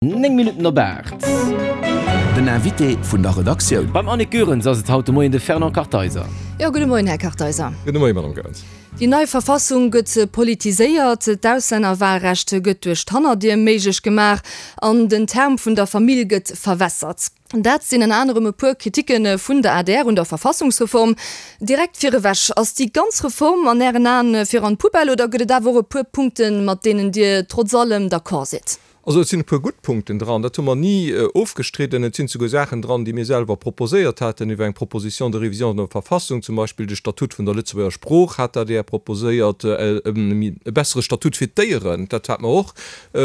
9 Minutten op 8. Den Invité vun der Redaktioun. Beim Annick Goerens ass et haut de Moien de Fernand Kartheiser. Jo, gudde Moien, Här Kartheiser. Gudde Moien, Madame Goerens. Déi nei Verfassung gëtt politiséiert, d'Auslännerwahlrecht gëtt duerch d'Hannerdier méiglech gemaach an den Term vun der Famill gëtt verwässert. Dat sinn ënner anerem e puer Kriticke vun der adr un der Verfassungsreform. Direkt virewech, Ass déi ganz Reform an Ären Aen fir an d'Poubelle oder gëtt et awer och e puer Punkten, mat deenen Dir trotz allem d'accord sidd? Also et sinn e puer gutt Punkten dran, dat hu mer ni ofgestridden. Et sinn souguer Saachen dran, déi mir selwer proposéiert haten iwwer eng Proposition de révision de Verfassung, zum Beispill de Statut vun der Lëtzebuerger Sprooch hat d'ADR proposéiert, e bessere Statut fir d'Déieren, dat hate mer och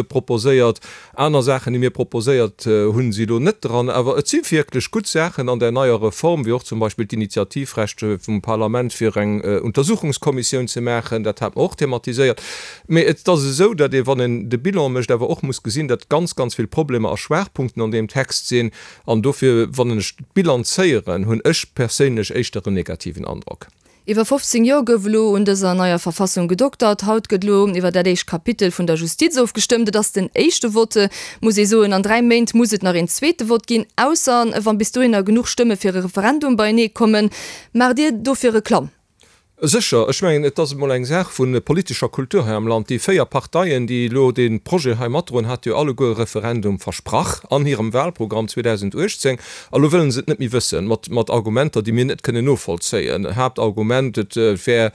proposéiert. Aner Saachen, déi mir proposéiert hunn, si elo net dran. Awer et si wierklech gutt Saachen an där neier Reform, wéi och zum Beispill d'Initiativrecht vum Parlament, fir eng Untersuchungskommissioun ze maachen, dat hate mer och thematiséiert. Mee et ass esou, datt ee, wann een de Bilan mécht, awer och muss gesinn, datt ganz, ganz vill Problemer a Schwaachpunkten an deem Text sinn. An dofir, wann ech bilanzéieren, hunn ech perséinlech éischter en negativen Androck. Iwwer 15 Joer gouf elo un dëser neier Verfassung gedoktert. Haut gëtt elo iwwer dat éischt Kapitel vun der Justiz ofgestëmmt. Et ass den éischte Vote, muss ee soen. An 3 Méint muss et nach een zweete Vott ginn, ausser wann bis dohinner genuch Stëmme fir e Referendum beienee kommen. Maacht Dir dofir Reklamm? Sécher, ech mengen, et ass emol eng Saach vu politescher Kultur hei am Land. Déi 4 Parteien, déi elo dee Projet hei matdroen, hate jo alleguer e Referendum versprach an hirem Wahlprogramm 2018. A lo wëllen se et net méi wëssen, mat Argumenter, déi mir net kënnen novollzéien. Haaptargument, et wär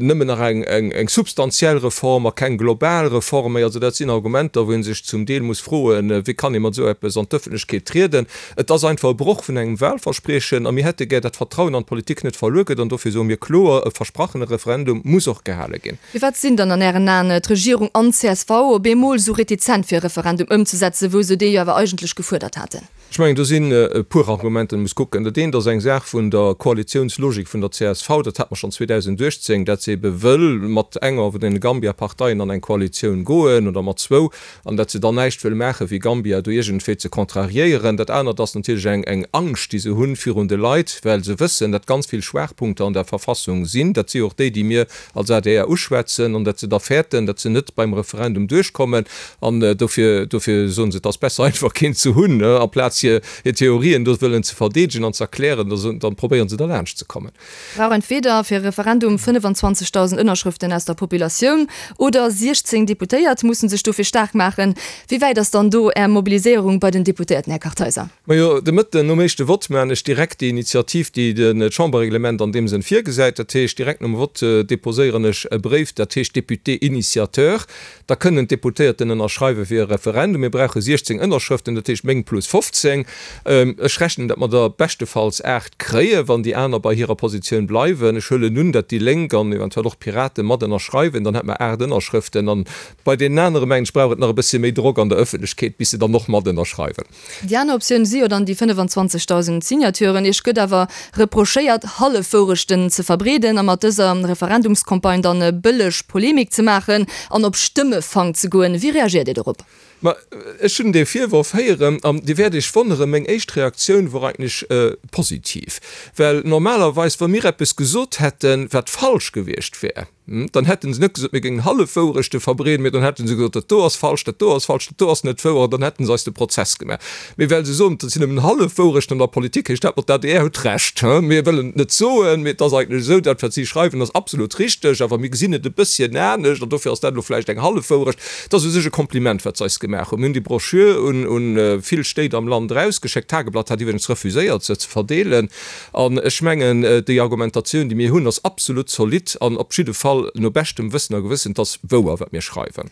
nëmmen nach eng substantiell Reform a keng global Reform méi. Also dat sinn Argumenter, wou ee sech zum Deel muss froen, wéi kann ee mat esou eppes an d'Ëffentlechkeet trieden? Et ass einfach e Broch vun engem Wahlverspriechen a mir hätte gär, dat d'Vertrauen an d'Politik net verluer gëtt an dofir soe mir kloer, e versprachene Referendum muss och gehale ginn. Firwat sinn dann an Ären Aen d'Regierung an d'CSV op eemol esou retizent fir e Referendum ëmzesetzen, wou se dee jo awer eigentlech gefuerdert haten? Ech mengen, do sinn e puer Argumenten, muss kucken. Dat eent ass eng Saach vun der Koalitiounslogik vun der csv, dat hat mer schonn 2018, dat se ebe wëll mat enger vun deene Gambia-Parteien an eng Koalitioun goen oder mat zwou. an datt se dann näischt wëll maachen, fir Gambia do iergendwéi ze contrariéieren. Dat anert ass natierlech eng eng Angscht, déi se hunn virun de Leit, well se wëssen, datt ganz vill Schwaachpunkter an der Verfassung sinn. Dat si och déi, déi mir als adr uschwätzen, an datt se da fäerten, datt se net beim Referendum duerchkommen. An dofir, dofir soen se, et ass besser einfach keen ze hunn, amplaz hir hir Theorien do wëllen ze verdeedegen an ze erklären, da probéieren se derlaanscht ze kommen. Brauch entweder fir e Referendum 25.000 Ënnerschrëften aus der Populatioun oder 16 Deputéiert mussen sech dofir staark maachen. Wéi wäit ass dann do Är Mobiliséierung bei den Deputéierten, Här Kartheiser? Majo, de Mëtten nom éischte Vott maachen ech direkt déi Initiativ, déi d'Chamberreglement an deem Sënn virgesäit. Dat heescht, direkt nom Vott deposéieren ech e Bréif, dat heescht Député initiateur. Da kënnen d'Deputéierten ënnerschreiwe fir e Referendum. Mir brauche 16 Ënnerschrëften, dat heescht meng plus 15. Ech rechnen, datt mer der beschtefalls 8 kréien, wann déi aner bei hirer Positioun bleiwen. Ech huelen un, datt déi Lénk an eventuell och d'Piraten mat ënnerschreiwen. Dann hätte mer 8 Ënnerschrëften. An bei deenen anere mengen ech, brauch et nach e bëssche méi Drock an der Ëffentlechkeet, bis se dann och mat ënnerschreiwen. Déi aner Optioun si jo dann déi 25.000 Signaturen. Iech gëtt awer reprochéiert, Hallefwourechten ze verbreeden a mat dëser Referendumscampagne dann bëlleg Polemik ze maachen an op Stëmmefang ze goen. Wéi reagiert Dir dorop? Ma ech hunn dee Virworf héieren an Dir wäert Iech wonneren, meng éischt Reaktioun wor eigentlech positiv. Well normalerweis, wa mir eppes gesot hätten, wat falsch gewiescht wär, Dann hätte se net gesot, mir géingen Hallefwourechte verbreeden, mee dann hätte se gesot, dat do ass falsch, dat do ass falsch, dat do ass net wouer, an dann hätte se eis de Prozess gemaach. Mee well se soen, dat sinn nëmmen Hallefwourechten an der Politik, heescht dat, ma d'ADR huet Recht. Mir wëllen et net soen, mee et ass eigentlech esou, dat wat si schreiwen ass absolut richteg, awer mir gesinn et e bësschen anescht an dofir ass dat elo vläicht eng Hallefwourecht. Et ass u sech e Kompliment, wat se eis gemaach hunn. Mir hunn déi Broschür un vill Stéit am Land erausgeschéckt. D'Tageblatt hat iwwregens refuséiert, se ze verdeelen. An ech mengen, déi Argumentatioun, déi mir hunn, ass absolut zolidd an op jidde Fall no beschtem Wëssen a Gewëssen. Et ass wouer, wat mir schreiwen.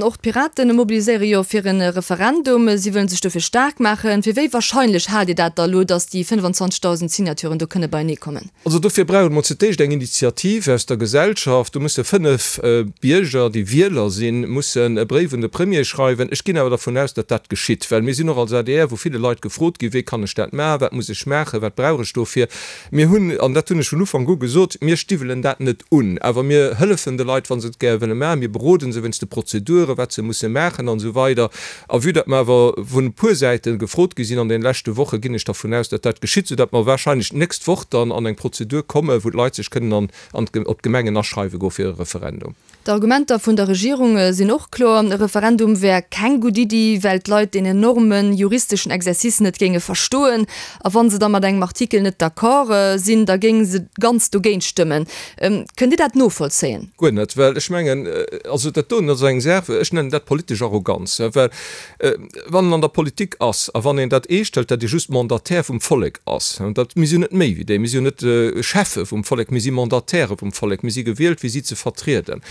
Och d'Piraten mobiliséiere jo fir e Referendum. Si wëllen sech dofir staark maachen. Fir wéi warscheinlech haalt Dir dat da elo, datt déi 25.000 Signaturen do kënne beienee kommen? Also dofir brauch et mol zu d'éischt eng Initiativ aus der Gesellschaft. Do musse 5 Bierger, déi Wieler sinn, mussen e Bréif un de Premier schreiwen. Ech ginn awer dervun aus, datt dat geschitt, well mir sinn och als adr, wou ville Leit gefrot ginn, wéi kann ech dat maachen, wat muss ech maachen, wat brauch ech dofir. Mir hunn, an dat hunn ech vun Ufank u gesot, mir stiwwelen dat net un, awer mir hëllefen de Leit, wa se et gär wëlle maachen. Mir beroden se wéinst de Prozeduren, wat se musse maachen an esou weider. A vue datt mer awer vun e puer Säite gefrot gi sinn an deene leschte Woche, ginn ech dervun aus, datt dat geschitt, soudatt mer wahrscheinlech d'nächst Woch dann an eng Prozedur kommen, wou d'Leit sech kënnen an, op d'Gemengen aschreiwe goe fir e Referendum. D'Argumenter vun der Regierung sinn och kloer, E Referendum wär keng gutt Iddi, well d'Leit deen enorme juristeschen Exercice net géinge verstoen. A wa se da mat engem Artikel net d'accord sinn, da géinge se ganz dogéint stëmmen. Kënnt Dir dat novollzéien? Guer net, well ech mengen, also dat doen ass eng Saach, ech nennen dat politesch Arroganz, well Wann en an der Politik ass a wann een dat eescht hëlt, datt ee just Mandataire vum Vollek ass, dat, mir sinn jo net méi wéi déi, mir sinn jo net Cheffe vum Vollek, mir si Mandatairë vum Vollek, mir si gewielt fir si ze vertrieden.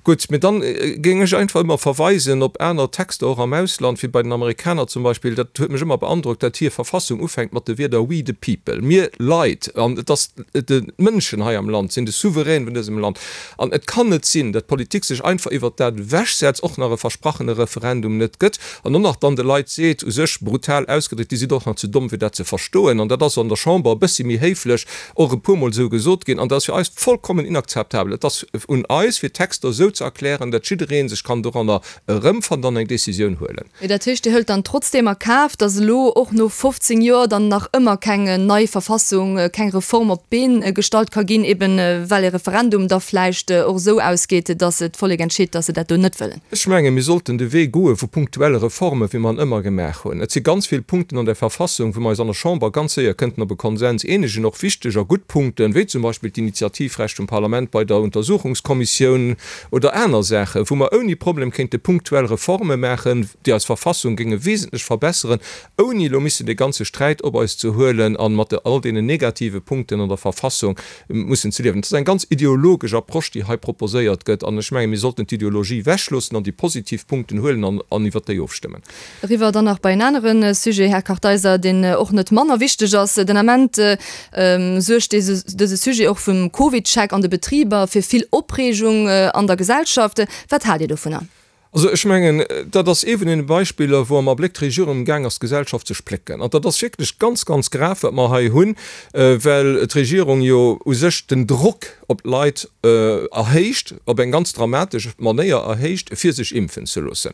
Gutt, mee dann géing ech einfach ëmmer verweisen op aner Texter och am Ausland, wéi bei den Amerikaner zum Beispill, dat huet mech ëmmer beandrockt, datt hir Verfassung ufänkt mat de Wierder We the people, mir Leit, an et ass d'Mënschen hei am Land sinn de Souverän vun dësem Land. An et kann net sinn, datt d'Politik sech einfach iwwert dat ewechsetzt, och nach e versprachene Referendum net gëtt an och nach dann de Leit seet, u sech brutal ausgedréckt, Dir sidd och nach ze domm fir dat ze verstoen. An dat ass an der Chamber e bëssi méi héiflech och e puermol esou gesot ginn. An dat ass fir eis vollkommen inakzeptabel. Et ass un eis, fir d'Texter esou ze erklären, datt jidderee sech kann doranner erëmfannen an eng Décisioun huelen. Mee dat heescht, Dir hëlt dann trotzdeem a Kaf, datt elo och no 15 Joer dann nach ëmmer keng nei Verfassung, keng Reform op d'Been gestallt ka ginn, eben well e Referendum da vläicht och esou ausgeet, datt d'Vollek entscheet, datt se dat do net wëllen? Ech menge mir sollten de Wee goe vu punktuelle Reformen, wéi mer en ëmmer gemaach hunn. Et si ganz vill Punkten an der Verfassung, wou mer eis an der Chamber ganz séier kënnten op e Konsens eenegen, och wichteg a gutt Punkten, wéi zum Beispill d'Initiativrecht vum Parlament bei der Untersuchungskommissioun, Oder aner Saachen, wou mer ouni Problem kéinte punktuell Reforme maachen, déi eis Verfassung géinge wesentlech verbesseren, ouni elo missen dee ganze Sträit op eis ze huelen a mat all deenen negative Punkten an der Verfassung mussen ze liewen. Et ass eng ganz ideologesch Approche, déi hei proposéiert gëtt. An ech mengen, mir sollten d'Ideologie ewechloossen an déi positiv Punkten huelen an iwwert déi ofstëmmen. Eriwwer dann nach bei en anere Sujet, Här Kartheiser, deen och net manner wichteg ass. Den Ament suergt dëse Sujet och vum CovidCheck an de Betriber fir vill Opreegung an der Gesellschaft. Wat haalt Dir dovunner? Also ech mengen, dat ass ee vun deene Beispiller, wou am Abléck d'Regierung amgaang ass, d'Gesellschaft ze splécken. An dat ass wierklech ganz, ganz grav, wat mer hei hunn, well d'Regierung jo u sech den Drock op d'Leit erhéicht, op eng ganz dramatesch Manéier erhéicht, fir sech impfen ze loossen.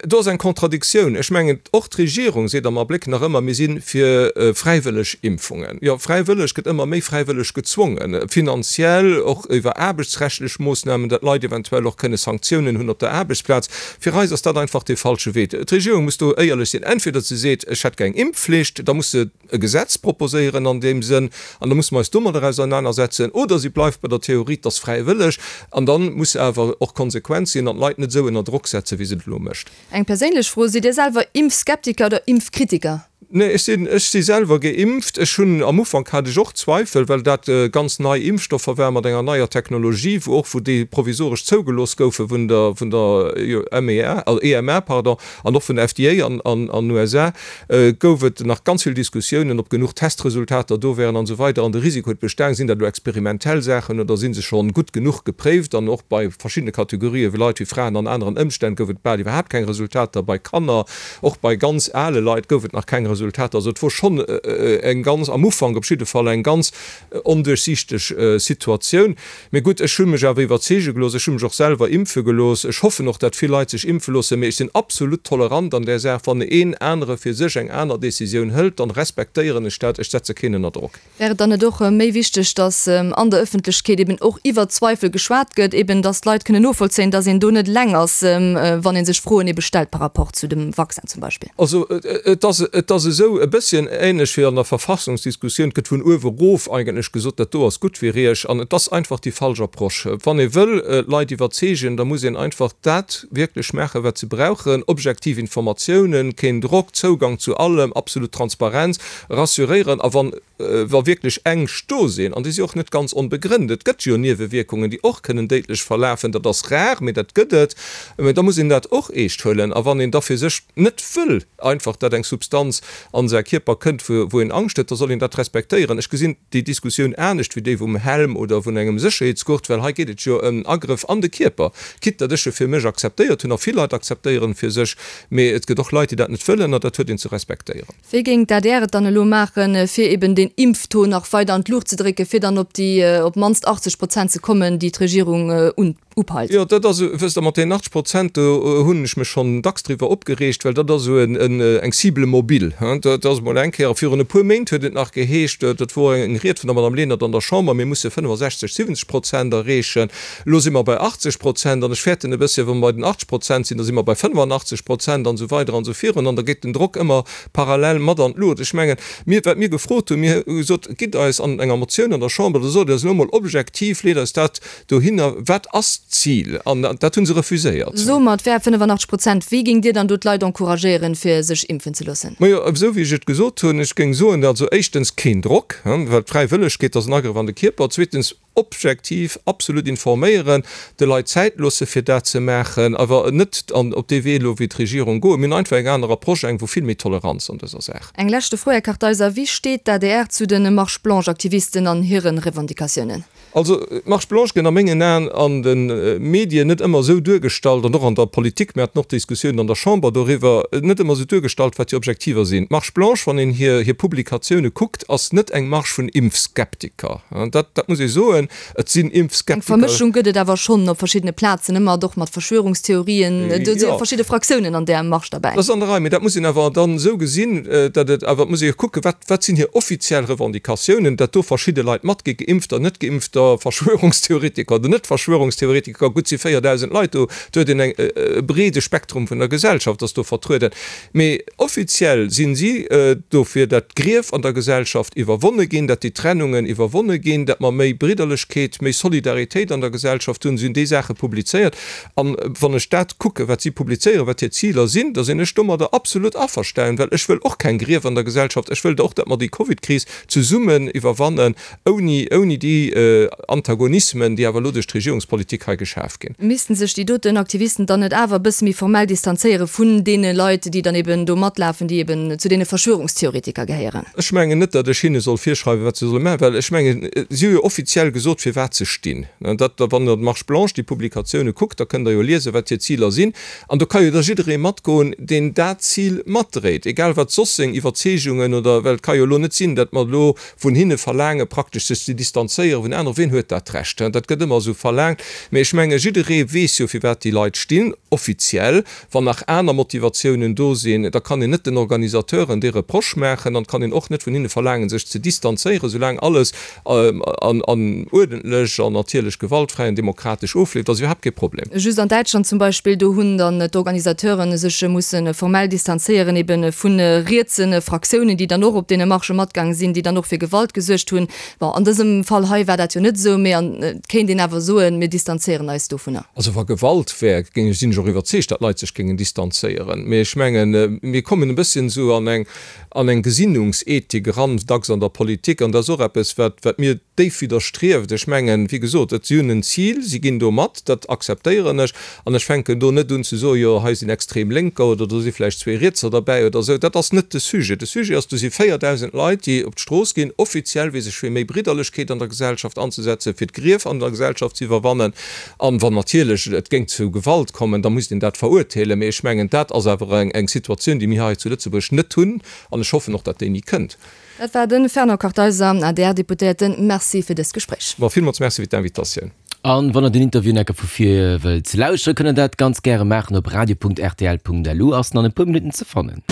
Do ass eng Contradictioun. Ech mengen, och d'Regierung seet am Abléck nach ëmmer, mir si fir fräiwëlleg Impfungen. Jo, fräiwëlleg gëtt ëmmer méi fräiwëlleg gezwongen, finanziell, och iwwer aarbechtsrechtlech Moossnamen, datt Leit eventuell och kënne Sanktiounen hunn op der Aarbechtsplaz. Fir eis ass dat einfach dee falsche Wee. D'Regierung muss do éierlech sinn. Entweder se seet, ech hätt gär eng Impfflicht, da muss se e Gesetz proposéieren an deem Sënn, an da musse mer eis domadder ausernanersetzen, oder si bleift bei der Theorie, 't ass fräiwëlleg, an da muss se awer och konsequent sinn an d'Leit net esou ënner Drock setzen, wéi se et elo mécht. Eng perséinlech Fro, Sidd Dir selwer Impfskeptiker oder Impfkritiker? Nee, ech sinn, ech si selwer geimpft. Ech hunn, am Ufank hat ech och Zweifel, well dat ganz nei Impfstoffer waren mat enger neier Technologie, wou och, wou déi provisoresch zougelooss goufe vun der, vun der MEA, EMA, pardon, an och vun der FDA an, an, an USA. Gouf et nach ganz vill Diskussiounen, ob genuch Testresultater do wären an esou weider an de Risiko huet bestaang. Sinn dat elo experimentell Saachen oder si se schonn gutt genuch gepréift? An och bei verschiddene Kategorië vu Leit, wéi Fraen an aneren Ëmstänn, gouf et bal iwwerhaapt keng Resultater. Bei Kanner, och bei ganz ale Leit gouf et nach keng Resultater. Also et wor schonn eng ganz, am Ufank op jidde Fall, eng ganz onduerchsiichteg Situatioun. Mee gutt, ech hu mech awer iwwerzeege gelooss, ech hu mech och selwer impfe gelooss. Ech hoffen och, dat vill Leit sech impfe loossen, mee ech sinn absolut tolerant an där Saach. Wann een anere fir sech eng aner Decisioun hëlt, dann respektéieren ech dat. Ech setze keen ënner Drock. Wär et dann net och méi wichteg, datt an der Ëffentlechkeet eben och iwwer Zweifel geschwat gëtt, eben datt d'Leit kënnen novollzéien, datt een do net eleng ass, wann ee sech Froen ebe stellt par rapport zu dem Vaccin zum Beispill? Also et ass, et ass esou e bësschen ähnlech wéi an der Verfassungsdiskussioun, et gëtt vun uewe erof eigentlech gesot, dat do ass gutt fir Iech. An et ass einfach déi falsch Approche. Wann ee wëll d'Leit iwwerzeegen, da muss een einfach dat wierklech maachen, wat se brauchen, objektiv Informatiounen, keen Drock, Zougang zu allem, absolut Transparenz, rassuréieren. A wann wa wierklech Ängscht do sinn, an déi si och net ganz onbegrënnt, et gëtt jo Niewewierkungen, déi och kënnen déidlech verlafen, dat ass rar, mee dat gëtt et, mä da muss een dat och eescht huelen. A wann een da fir sech net wëll einfach, datt eng Substanz an säi Kierper kënnt, wou een Angscht huet, da soll een dat respektéieren. Ech gesinn déi Diskussioun anescht wéi déi vum Helm oder vun engem Sécherheetsgurt, well hei geet et jo ëm en Agrëff an de Kierper, quitte datt ech e fir mech akzeptéiert hunn a vill Leit akzeptéieren e fir sech, mee et gëtt och Leit, déi dat net wëllen, a dat huet een ze respektéieren. Wéi géing d'ADR et dann elo maachen, fir eben deen Impftaux nach weider an d'Luucht ze drécken, fir dann op déi op d'mannst 80 Prozent ze kommen, déi d'Regierung unpeilt? Upeilt. Jo, dat ass, wësst Der, mat deenen 80 Prozent, do hunn ech mech schonn dacks driwwer opgereegt, well dat ass esou eng Cible mobile. Dat ass emol eng Kéier, a virun e puer Méint huet et nach geheescht, dat wor eng Ried vun der Madame Lenert an der Chamber, mir musse 65, 70 Prozent erreechen. Elo si mer bei 80 Prozent an ech fäerten e bësschen, wa mer bei den 80 Prozent sinn, da si mer bei 85 Prozent an esou weider an esou virun an da geet den Drock ëmmer parallel mat an d'Luucht. Ech mengen, mir, wat mir gefrot hunn, mir hu gesot, gitt eis an enger Motioun an der Chamber, da sot eis elo emol objektiv, leet eis dat Dohinner, wat ass d'Zil? An dat hu se refuséiert. Soe mer, et wär 85 Prozent. Wéi géingt Dir dann do d'Leit encouragéieren, fir sech impfen ze loossen? Majo, esou wéi ech et gesot hunn. Ech géing soen, also éischtens keen Drock, well d'Fräiwëllegkeet ass en Agrëff an de Kierper. Zweetens objektiv, absolut informéieren, de Leit Zäit loosse fir dat ze maachen, awer net an op dee Wee elo wéi d'Regierung goen. Mir hunn einfach eng aner Approche, eng wou vill méi Toleranz an dëser Saach. Eng leschte Fro, Här Kartheiser, Wéi steet d'ADR zu de Marche Blanche-Aktivisten an hire Revendicatiounen? Also d'Marche blanche gëtt a mengen Aen an de Medien net ëmmer esou duergestallt, an och an der Politik, mir haten och Diskussiounen an der Chamber doriwwer, net ëmmer esou duergestallt, wat hir Objektiver sinn. D'Marche blanche, wann een hir hir Publikatioune kuckt, ass net eng Marche vun Impfskeptiker. Dat dat muss ee soen. Et sinn Eng Impfskeptiker. Vermëschung gëtt et awer schonn op verschiddene Plazen, ëmmer och mat Verschwörungstheorien. Do si jo verschidde Fraktiounen an där Marche derbäi. Dat ass an der Rei, mee dat muss een awer dann esou gesinn, datt et awer, et muss ee jo kucken, wat Wat sinn hir offiziell Revendicatiounen? Datt do verschidde Leit matgi, Geimpfter, Net-Geimpfter, Verschwörungstheoretiker oder Net-Verschwörungstheoretiker, gutt, si 4.000 Leit do, do huet een eng e breede Spektrum vun der Gesellschaft ass do vertrueden. Mee offiziell sinn si dofir, datt d'Grief an der Gesellschaft iwwerwonne ginn, datt déi Trennungen iwwerwonne ginn, datt mer méi Bridderlechkeet, méi Solidaritéit an der Gesellschaft hunn. Si hunn déi Saache publizéiert. An wann ech dat kucken, wat si publizéieren, wat hir Ziler sinn, da sinn ech domadder absolut averstanen, well ech wëll och keng Grief an der Gesellschaft. Ech wëllt och, datt mer déi Covidkris zesummen iwwerwannen, ouni, ouni déi Antagonismen, déi awer elo duerch d'Regierungspolitik hei geschaf ginn. Missten sech déi doten Aktivisten dann net awer e bësse méi formell distanzéiere vun deene Leit, déi dann eben do matlafen, déi eben zu deene Verschwörungstheoretiker gehéieren? Ech mengen net, datt ech hinne soll virschreiwen, wat se solle maachen, well ech mengen, si hu jo offiziell gesot, firwat se stinn. Dat, wann Der d'Marche blanche, déi Publikatioune kuckt, da kënnt Der jo liesen, wat hir Ziler sinn. An do ka jo da jidderee matgoen, deen dat Zil matdréit, egal wat soss seng Iwwerzeegungen oder, well et ka jo elo net sinn, datt mer elo vun hinne verlaange praktesch sech ze distanzéiere vun aneren. Wien huet dat Recht? Dat gëtt ëmmer esou verlaangt. Mee ech menge jidderee weess jo, firwat déi Leit stinn, offiziell. Wann nach aner Motivatiounen do sinn, da kann een net den Organisateuren dee Reproche maachen an et kann een och net vun hinne verlaangen, sech ze distanzéieren, soulaang alles an uerdentlech an natierlech gewaltfräi an demokratesch ofleeft, ass iwwerhaapt kee Problem. Just an Däitschland zum Beispill, do hunn dann d'Organisateuren sech musse formell distanzéieren, ebe vu rietse Fraktiounen, déi dann och op deene Marchë matgaang sinn, déi dann och fir Gewalt gesuergt hunn. Bon, an dësem Fall hei war dat jo net esou, mee et kéint een awer soen, mir distanzéieren eis dovunner. Also wa Gewalt wär, géing ech, sinn ech och iwwerzeegt, datt Leit sech géingen distanzéieren. Mee ech mengen, mir kommen e bësschen esou an eng, an eng Gesinnungsethik eran, dacks an der Politik, an dat ass och eppes, wat, wat mir déif widderstrieft. Ech mengen, wéi gesot, et, si hunn en Zil, si ginn do mat, dat akzeptéieren ech, an ech fänken do net un ze soen, jo hei sinn extrem Lénker oder do si vläicht zwee Rietser derbäi oder esou. Dat ass net de Sujet. De Sujet ass, do si 4.000 Leit, déi op d'Strooss ginn, offiziell, fir sech fir méi Bridderlechkeet an der Gesellschaft anzesetzen, fir d'Grief an der Gesellschaft ze iwwerwannen. An wann natierlech et géing zu Gewalt kommen, da misst een dat verurteelen. Mee ech mengen, dat ass awer eng Situatioun, déi mir hei zu Lëtzebuerg net hunn. An ech hoffen och, datt déi ni kënnt. Dat war de Fernand Kartheiser, ADR-Deputéierten. Merci fir dëst Gespréich. Ma villmools Merci fir d'Invitatioun. An wann der den Interview enke vu vir wëllt lauschteren, kënnt der dat ganz gäre maachen op radio.rtl.lu, ass en an e puer Minutten ze fannen.